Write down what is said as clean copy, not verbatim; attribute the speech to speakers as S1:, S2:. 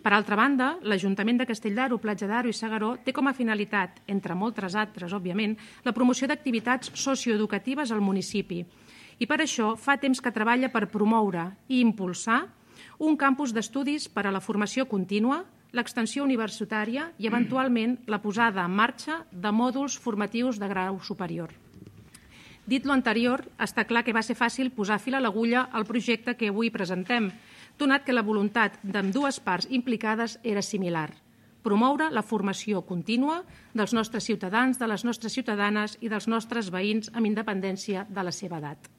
S1: Per altra banda, l'Ajuntament de Castelldaro, Platja d'Aro i S'Agaró té com a finalitat, entre moltes altres, òbviament, la promoció d'activitats socioeducatives al municipi. I per això fa temps que treballa per promoure i impulsar un campus d'estudis per a la formació contínua, l'extensió universitària i, eventualment, la posada en marxa de mòduls formatius de grau superior. Dit lo anterior, està clar que va ser fàcil posar fil a l'agulla al projecte que avui presentem, donat que la voluntat d'ambdues parts implicades era similar: promoure la formació contínua dels nostres ciutadans, de les nostres ciutadanes i dels nostres veïns amb independència de la seva edat.